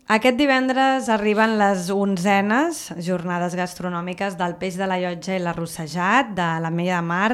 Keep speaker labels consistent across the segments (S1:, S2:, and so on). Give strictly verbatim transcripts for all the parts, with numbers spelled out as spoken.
S1: Aquest divendres arriben les onzenes jornades gastronòmiques del Peix de la Llotja i l'Arrossejat de l'Ametlla de Mar,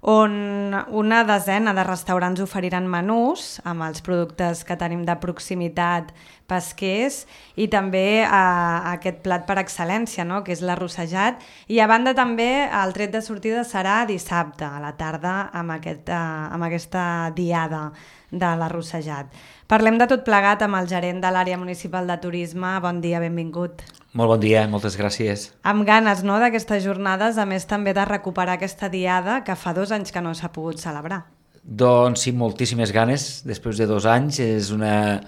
S1: on una desena de restaurants oferiran menús amb els productes que tenim de proximitat pesquers i també eh, aquest plat per excel·lència, no? Que és l'Arrossejat. I a banda també el tret de sortida serà dissabte a la tarda amb, aquest, eh, amb aquesta diada de l'Arrossejat. Parlem de tot plegat amb el gerent de l'àrea municipal de turisme. Bon dia, benvingut.
S2: Molt bon dia, moltes gràcies.
S1: Amb ganes, no?, d'aquestes jornades, a més també de recuperar aquesta diada que fa dos anys que no s'ha pogut celebrar.
S2: Doncs sí, moltíssimes ganes, després de dos anys. És una,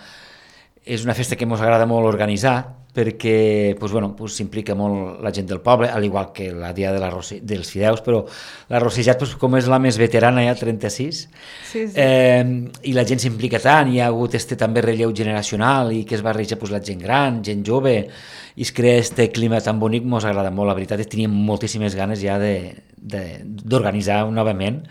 S2: és una festa que ens agrada molt organitzar, perquè pues, bueno, pues, s'implica molt la gent del poble, al igual que la dia de la Rossi, dels fideus, però l'Arrossejat, pues, com és la més veterana, ja trenta-sis, sí, sí. Eh, i la gent s'implica tant, hi ha hagut este també relleu generacional i que es barreja pues, la gent gran, gent jove, i es crea este clima tan bonic, ens agrada molt, la veritat és que teníem moltíssimes ganes ja d'organitzar novament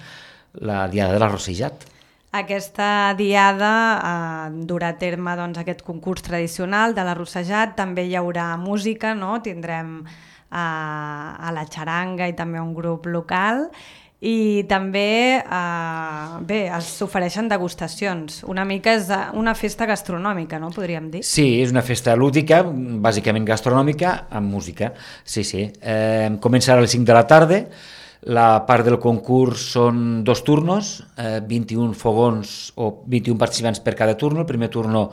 S2: la diada de l'Arrossejat.
S1: Aquesta diada eh, durà a terme doncs, aquest concurs tradicional de l'Arrossejat, també hi haurà música, no? Tindrem eh, a la xaranga i també un grup local i també eh, bé, s'ofereixen degustacions, una mica és una festa gastronòmica, no? Podríem dir.
S2: Sí, és una festa lúdica, bàsicament gastronòmica, amb música, sí, sí. Eh, començarà a les cinc de la tarda. La part del concurs són dos turnos, eh, vint-i-un fogons o vint-i-un participants per cada turno. El primer turno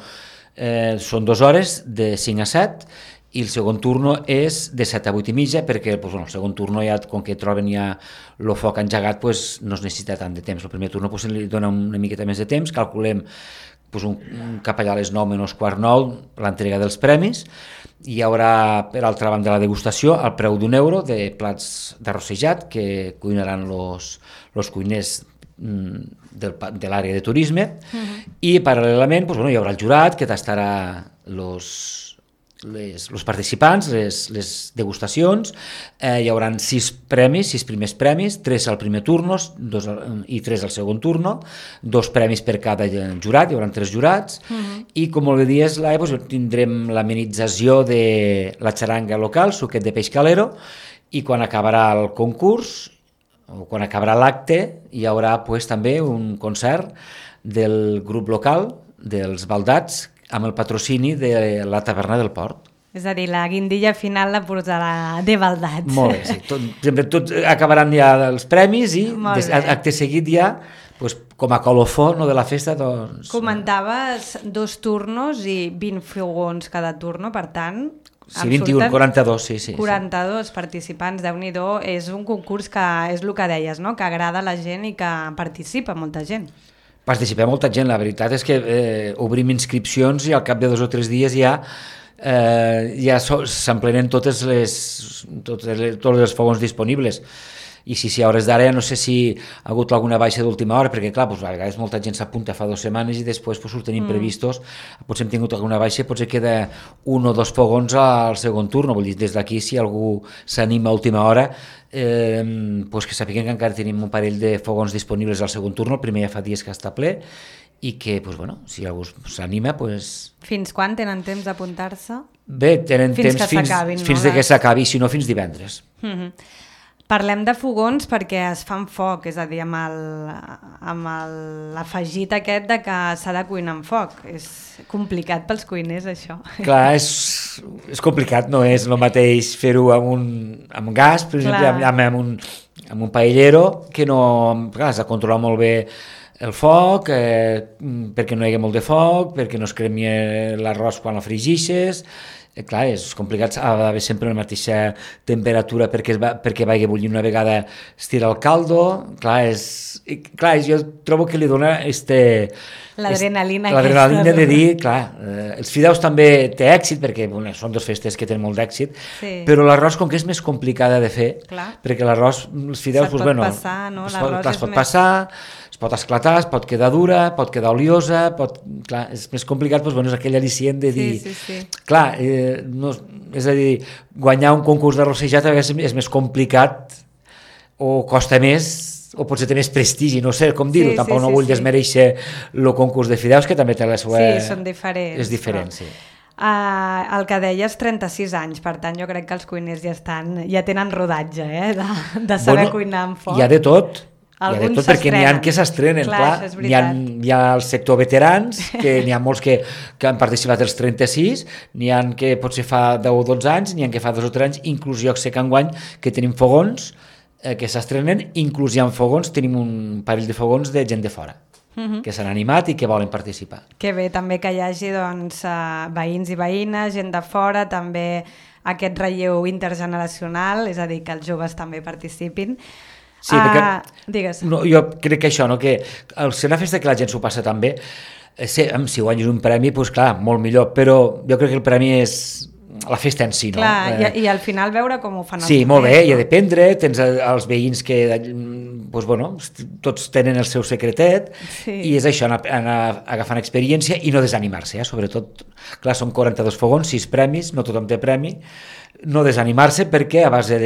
S2: eh, són dues hores, de cinc a set, i el segon turno és de set a vuit i mitja, perquè pues, bueno, el segon turno, ja, com que troben ja el foc engegat, pues, no es necessita tant de temps. El primer turno pues, li dona una miqueta més de temps, calculem pues, un, un cap allà a les nou menys quart nou, l'entrega dels premis. Hi haurà, per altra banda, la degustació al preu d'un euro de plats d'arrossejat que cuinaran els cuiners del, de l'àrea de turisme. Uh-huh. I paral·lelament pues, bueno, hi haurà el jurat que tastarà els les, els participants, les, les degustacions. Eh, hi haurà sis premis, sis primers premis, tres al primer turno dos, i tres al segon turno, dos premis per cada jurat, hi haurà tres jurats, uh-huh. I com molt bé dies, Laia, doncs, tindrem l'amenització de la xaranga local, suquet de peix calero, i quan acabarà el concurs, o quan acabarà l'acte, hi haurà pues, també un concert del grup local, dels Baldats, amb el patrocini de la taverna del Port.
S1: És a dir, la guindilla final la posarà de Baldats.
S2: Molt bé, sí. Tot, sempre tot acabaran ja els premis i des, acte seguit ja, pues, com a colofó no, de la festa, doncs...
S1: Comentaves dos turnos i vint fogons cada turno, per tant...
S2: Sí, vint-i-un, quaranta-dos, sí, sí.
S1: quaranta-dos sí. Participants, Déu-n'hi-do, és un concurs que és el que deies, no? Que agrada a la gent i que participa molta gent.
S2: Participa molta gent, la veritat és que eh, obrim inscripcions i al cap de dos o tres dies ja eh, ja so, s'emplenen totes les, totes les, tots els fogons disponibles. I sí, sí, a hores d'ara no sé si ha hagut alguna baixa d'última hora, perquè clar, pues, a vegades molta gent s'apunta fa dues setmanes i després pues, us tenim mm. previstos, potser hem tingut alguna baixa, potser queda un o dos fogons al segon turno, vull dir, des d'aquí si algú s'anima a última hora, eh, pues, que sàpiguen que encara tenim un parell de fogons disponibles al segon turno, el primer ja fa dies que està ple, i que, pues, bueno, si algú s'anima, pues...
S1: Fins quan tenen temps d'apuntar-se?
S2: Bé, tenen
S1: fins
S2: temps fins,
S1: no,
S2: fins de que s'acabi, si no fins divendres.
S1: Mm-hmm. Parlem de fogons perquè es fan foc, és a dir, amb el, amb l'afegit aquest de que s'ha de cuinar amb foc. És complicat pels cuiners, això.
S2: Clar, és, és complicat, no és el mateix fer-ho amb, un, amb gas, per exemple, amb, amb, amb, un, amb un paellero, que no... Clar, has de controlar molt bé el foc, eh, perquè no hi hagi molt de foc, perquè no es cremi l'arròs quan el fregixes... Clar, és complicat, ha d'haver sempre la mateixa temperatura perquè, es va, perquè vagi bullint una vegada es tira el caldo, clar, és, clar jo trobo que li dona este,
S1: l'adrenalina
S2: est, l'adrenalina de dir, clar, eh, els fideus també té èxit perquè bueno, són dues festes que tenen molt d'èxit, sí. Però l'arròs com que és més complicada de fer, clar. Perquè l'arròs, els fideus,
S1: se't
S2: pues,
S1: pot
S2: bueno,
S1: passar, no?
S2: es pot,
S1: L'arròs
S2: clar, es pot
S1: més...
S2: passar, es pot esclatar, es pot quedar dura, pot quedar oliosa, pot, clar, és més complicat, doncs, bueno, és aquell al·licient de dir...
S1: Sí, sí, sí.
S2: Clar, eh, no, és a dir, guanyar un concurs d'arrossejat a vegades és més complicat o costa més o potser té més prestigi, no sé com dir-ho, sí, tampoc sí, no vull sí, desmereixer el concurs de fideus, que també té la seva...
S1: Sí, són diferents.
S2: És diferent,
S1: però...
S2: sí.
S1: Uh, el que deies, trenta-sis anys, per tant jo crec que els cuiners ja estan, ja tenen rodatge, eh? de, de saber bueno, cuinar amb foc.
S2: Hi ha de tot, hi ha de tot perquè n'hi ha que s'estrenen,
S1: clar,
S2: clar, clar. Hi, ha, hi ha el sector veterans, que n'hi ha molts que, que han participat els trenta-sis, n'hi ha que potser fa deu o dotze anys, n'hi ha que fa dos o tres anys, inclús jo sé que enguany que tenim fogons eh, que s'estrenen, inclús hi ha fogons, tenim un parell de fogons de gent de fora. Uh-huh. Que s'han animat i que volen participar.
S1: Que bé, també que hi hagi doncs, uh, veïns i veïnes, gent de fora, també aquest relleu intergeneracional, és a dir, que els joves també participin.
S2: Sí, perquè
S1: uh, digues.
S2: No, jo crec que això, no? Que al ser una festa que la gent s'ho passa tan bé, eh, si, si guanyes un premi, doncs clar, molt millor, però jo crec que el premi és la festa en si, no?
S1: Clar, eh... i, i al final veure com ho fan els
S2: sí,
S1: propers,
S2: molt bé,
S1: no?
S2: i ha de prendre, tens els veïns que doncs, bueno, tots tenen el seu secretet, sí. I és això, anar, anar agafant experiència i no desanimar-se, eh? Sobretot, clar, són quaranta-dos fogons, sis premis, no tothom té premi, no desanimar-se perquè a base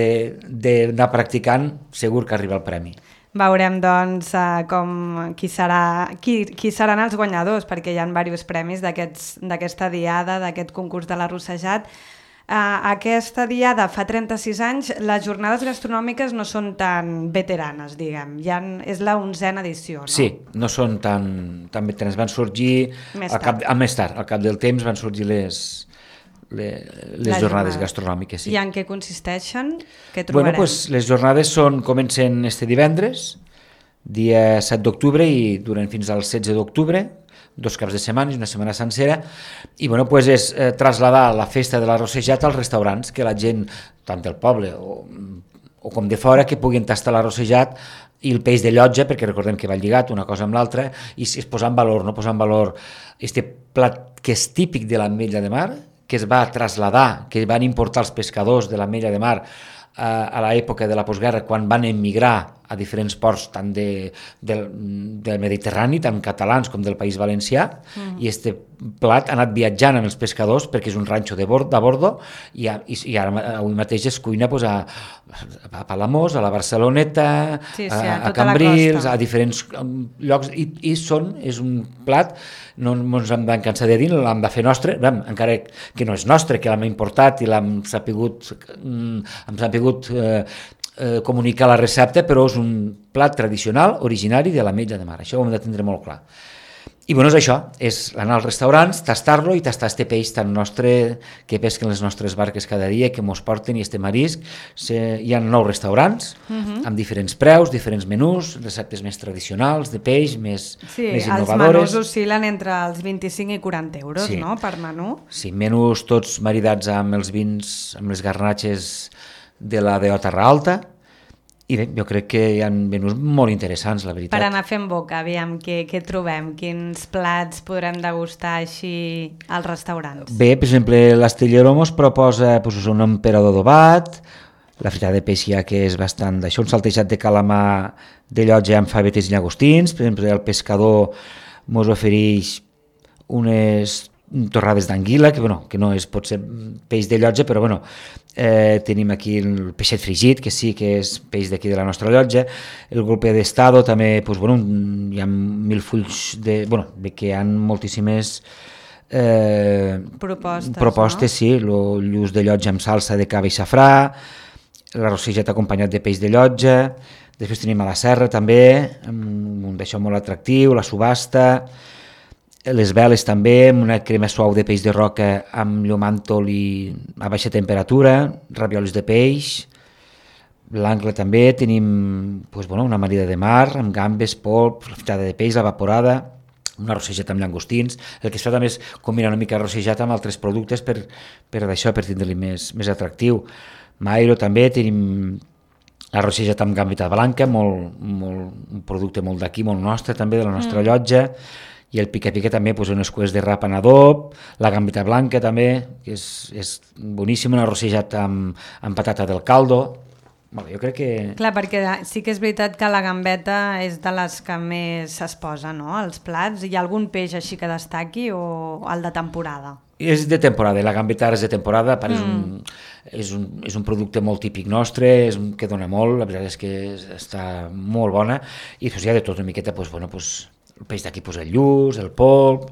S2: d'anar practicant segur que arriba el premi.
S1: Veurem, doncs, uh, com qui, serà, qui, qui seran els guanyadors, perquè hi ha diversos premis d'aquesta diada, d'aquest concurs de l'Arrossejat. Uh, aquesta diada fa trenta-sis anys, les jornades gastronòmiques no són tan veteranes, diguem. Ja és la onzena edició, no?
S2: Sí, no són tan, tan veteranes. Van sorgir,
S1: més
S2: al cap, al més tard, al cap del temps van sorgir les... les, les jornades gastronòmiques. Sí.
S1: I en què consisteixen? Què trobarem?
S2: Bueno, pues, les jornades són, comencen este divendres, dia set d'octubre, i duren fins al setze d'octubre, dos caps de setmana, una setmana sencera, i bueno, pues és eh, trasladar la festa de l'Arrossejat als restaurants, que la gent, tant del poble o, o com de fora, que puguin tastar l'Arrossejat i el peix de llotja, perquè recordem que va lligat una cosa amb l'altra, i es posar en valor, no posar en valor este plat que és típic de l'Ametlla de Mar, que es va traslladar, que van importar els pescadors de l'Ametlla de Mar eh, a l'època de la postguerra, quan van emigrar a diferents ports tant de, del, del Mediterrani, tant catalans com del País Valencià, mm. i este plat ha anat viatjant amb els pescadors perquè és un ranxo de, bord, de bordo i, a, i, i ara avui mateix es cuina pues, a, a Palamós, a la Barceloneta,
S1: sí, sí,
S2: a,
S1: a,
S2: a Cambrils, a diferents llocs, i, i són, és un plat, no ens hem de cansar de dir, l'hem de fer nostre, encara que no és nostre, que l'hem importat i l'hem sapigut, hem sapigut eh, Eh, comunicar la recepta, però és un plat tradicional, originari de l'Ametlla de Mar. Això ho hem de tindre molt clar. I bueno, és això, és anar als restaurants, tastar-lo i tastar este peix tan nostre que pesquen les nostres barques cada dia, que mos porten, i este marisc. Se, hi ha nou restaurants, uh-huh. amb diferents preus, diferents menús, receptes més tradicionals de peix, més,
S1: sí,
S2: més innovadores.
S1: Els menús oscil·len entre els vint-i-cinc i quaranta euros,
S2: sí.
S1: no?, per menú.
S2: Sí, menús tots maridats amb els vins, amb les garnatxes de la de Terra Alta, i bé, jo crec que hi ha menús molt interessants, la veritat.
S1: Per anar fent boca, aviam, què, què trobem? Quins plats podrem degustar així als restaurants? Bé,
S2: per exemple, l'Astillero mos proposa pues, un emperador adobat, la fritada de peix ja que és bastant d'això, un saltejat de calamar de llotja amb favetes i llagostins, per exemple, el pescador mos ofereix unes torrades d'anguila, que, bueno, que no és pot ser peix de llotja, però bueno, eh, tenim aquí el peixet fregit, que sí que és peix d'aquí de la nostra llotja, el golpe d'estado també, pues, bueno, hi ha mil fulls de... bueno, que hi ha moltíssimes eh,
S1: propostes,
S2: propostes,
S1: no?
S2: Sí, el lluç de llotja amb salsa de cava i safrà, l'arrossejat acompanyat de peix de llotja, després tenim a la serra també, un d'això molt atractiu, la subhasta, les veles també, amb una crema suau de peix de roca amb llomàntol i a baixa temperatura, raviolis de peix, l'angle també, tenim pues, bueno, una marida de mar amb gambes, polp, fritada de peix, evaporada, una arrossejat amb llangostins. El que es fa també és combinar una mica arrossejat amb altres productes per, per d'això, per tindre-li més, més atractiu. Mairo també, tenim l'arrossejat amb gambita blanca, molt, molt, un producte molt d'aquí, molt nostre també, de la nostra mm. llotja, i el pica-pica també, pues, unes cues de rap en adob, la gambita blanca també, que és, és boníssim, un arrossejat amb, amb patata del caldo. Bueno, jo crec que...
S1: Clar, perquè sí que és veritat que la gambeta és de les que més es posa, no?, als plats. Hi ha algun peix així que destaqui o el de temporada?
S2: És de temporada, la gambeta és de temporada, mm. és, un, és, un, és un producte molt típic nostre, és un que dona molt, la veritat és que està molt bona, i pues, hi ha de tot una miqueta, pues, bueno, pues, el peix d'aquí, pues, el lluç, el polp,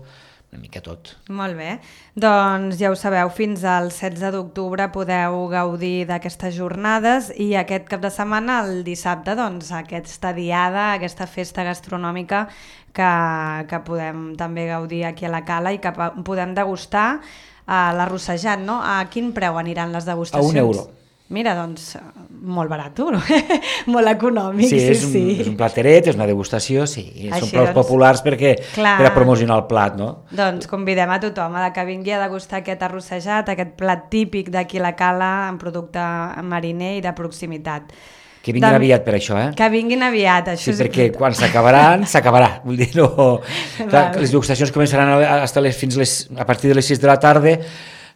S2: una mica tot.
S1: Molt bé. Doncs ja ho sabeu, fins al setze d'octubre podeu gaudir d'aquestes jornades i aquest cap de setmana, el dissabte, doncs aquesta diada, aquesta festa gastronòmica que, que podem també gaudir aquí a la Cala i que podem degustar a l'arrossejat, no? A quin preu aniran les degustacions?
S2: A un euro.
S1: Mira, doncs, molt barat, molt econòmic.
S2: Sí,
S1: sí,
S2: és, un,
S1: sí.
S2: és un plateret, és una degustació, sí,
S1: Així,
S2: són preus
S1: doncs,
S2: populars perquè
S1: clar,
S2: per a promocionar el plat, no?
S1: Doncs convidem a tothom a que vingui a degustar aquest arrossejat, aquest plat típic d'aquí la Cala, en producte mariner i de proximitat.
S2: Que vinguin de... aviat per això, eh?
S1: Que vinguin aviat, això
S2: sí,
S1: és...
S2: perquè quan s'acabaran, s'acabarà. Vull dir, no... Clar, les degustacions començaran a, hasta les, fins les, a partir de les sis de la tarda.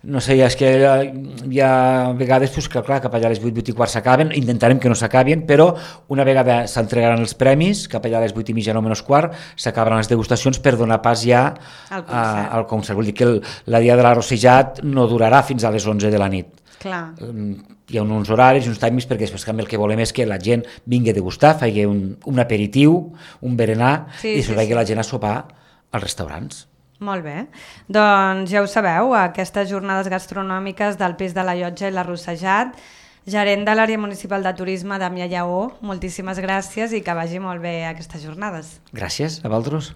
S2: No sé, és que hi ha vegades pues, que clar, cap allà a les vuit, vuit i quart s'acaben, intentarem que no s'acabin, però una vegada s'entregaran els premis, cap allà a les vuit i mitja, nou menys quart, s'acabaran les degustacions per donar pas ja al concert. A, al concert. Vull dir que el, la dia de l'arrossejat no durarà fins a les onze de la nit.
S1: Clar.
S2: Hi ha uns horaris, uns timings, perquè després el que volem és que la gent vingui a degustar, faci un, un aperitiu, un berenar, sí, i després sí, vagi sí. la gent a sopar als restaurants.
S1: Molt bé. Doncs ja ho sabeu, aquestes jornades gastronòmiques del Peix de la Llotja i l'Arrossejat. Gerent de l'àrea municipal de turisme, Damià Lleó, moltíssimes gràcies i que vagi molt bé aquestes jornades.
S2: Gràcies, a vosaltres.